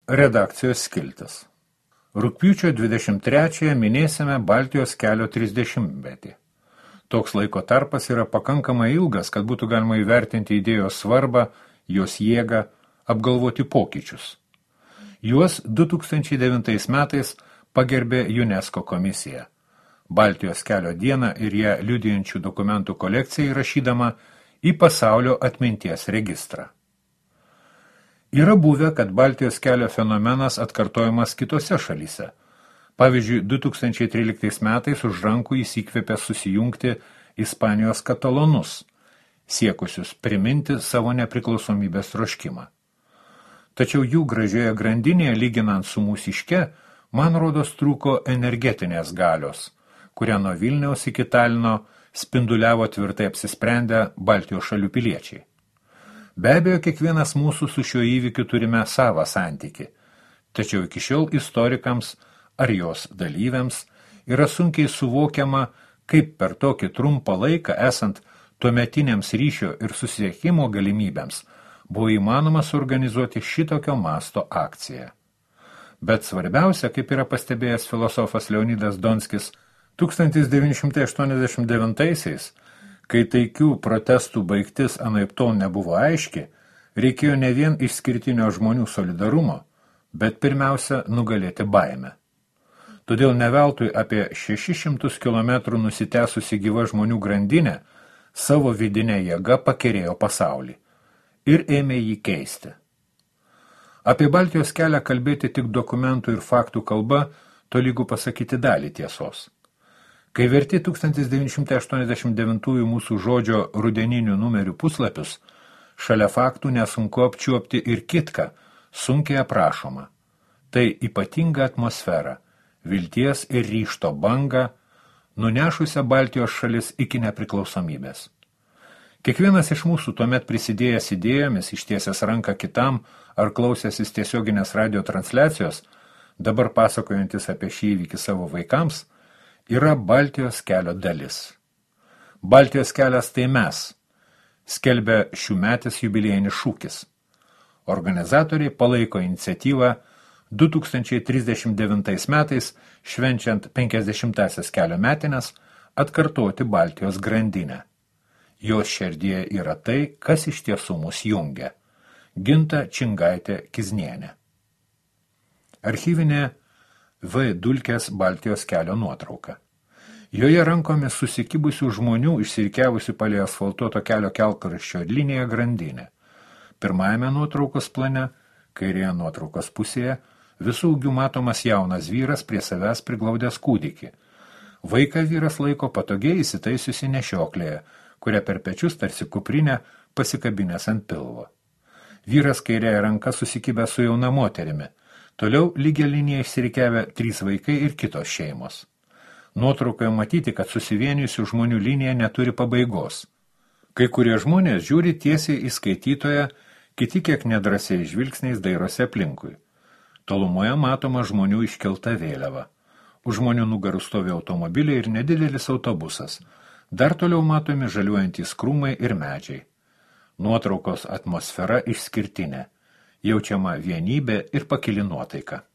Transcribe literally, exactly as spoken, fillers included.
Redakcijos skiltis. Rugpjūčio dvidešimt trečiąją minėsime Baltijos kelio trisdešimtmetį. Toks laiko tarpas yra pakankamai ilgas, kad būtų galima įvertinti idėjos svarbą, jos jėgą, apgalvoti pokyčius. Juos du tūkstančiai devintais metais pagerbė UNESCO komisija. Baltijos kelio dieną ir ją liudijančių dokumentų kolekciją įrašydama į pasaulio atminties registrą. Yra buvę, kad Baltijos kelio fenomenas atkartojamas kitose šalyse. Pavyzdžiui, du tūkstančiai tryliktais metais už rankų įsikvėpė susijungti Ispanijos katalonus, siekusius priminti savo nepriklausomybės troškimą. Tačiau jų gražioje grandinėje, lyginant su mūsiške, man rodos trūko energetinės galios, kurią nuo Vilniaus iki Talino spinduliavo tvirtai apsisprendę Baltijos šalių piliečiai. Be abejo, kiekvienas mūsų su šiuo įvykiu turime savą santykį, tačiau iki šiol istorikams ar jos dalyviams yra sunkiai suvokiama, kaip per tokį trumpą laiką, esant tuometiniams ryšio ir susisiekimo galimybėms, buvo įmanoma suorganizuoti šitokio masto akciją. Bet svarbiausia, kaip yra pastebėjęs filosofas Leonidas Donskis, tūkstantis devyni šimtai aštuoniasdešimt devintaisiais, kai taikių protestų baigtis anaiptol nebuvo aiški, reikėjo ne vien išskirtinio žmonių solidarumo, bet pirmiausia nugalėti baimę. Todėl neveltui apie šešis šimtus kilometrų nusitęsusi gyva žmonių grandinė savo vidinę jėgą pakerėjo pasaulį ir ėmė jį keisti. Apie Baltijos kelią kalbėti tik dokumentų ir faktų kalba, tolygu pasakyti dalį tiesos. Kai verti tūkstantis devyni šimtai aštuoniasdešimt devintųjų mūsų žodžio rudeninių numerių puslapius, šalia faktų nesunku apčiuopti ir kitką, sunkiai aprašoma. Tai ypatinga atmosfera, vilties ir ryžto banga, nunešusią Baltijos šalis iki nepriklausomybės. Kiekvienas iš mūsų tuomet prisidėjęs idėjomis, ištiesęs ranką kitam ar klausęsis tiesioginės radio transliacijos, dabar pasakojantis apie šį įvykį savo vaikams, yra Baltijos kelio dalis. Baltijos kelias tai mes, skelbia šiųmetis jubiliejinis šūkis. Organizatoriai palaiko iniciatyvą du tūkstančiai trisdešimt devintais metais, švenčiant penkiasdešimtąsias kelio metines, atkartoti Baltijos grandinę. Jos širdyje yra tai, kas iš tiesų mus jungia. Ginta Čingaitė Kiznienė. Archyvinė V. Dulkės Baltijos kelio nuotrauka. Joje rankomis susikibusių žmonių išsirikiavusių palei asfaltuoto kelio kelkraščio liniją grandinę. Pirmajame nuotraukos plane, kairėje nuotraukos pusėje, visų ūgių matomas jaunas vyras prie savęs priglaudęs kūdikį. Vaiką vyras laiko patogiai įsitaisiusi nešioklėje, kurią per pečius tarsi kuprinę pasikabinęs ant pilvo. Vyras kairėje ranka susikibę su jauna moterimi. Toliau lygia linija išsirikiavę trys vaikai ir kitos šeimos. Nuotraukoje matyti, kad susivienijusių žmonių linija neturi pabaigos. Kai kurie žmonės žiūri tiesiai į skaitytoją, kiti kiek nedrasiai žvilgsniais dairosi aplinkui. Tolumoje matoma žmonių iškelta vėliava. Už žmonių nugarų stovi automobiliai ir nedidelis autobusas. Dar toliau matomi žaliuojantys krūmai ir medžiai. Nuotraukos atmosfera išskirtinė. Jaučiama vienybė ir pakili nuotaika.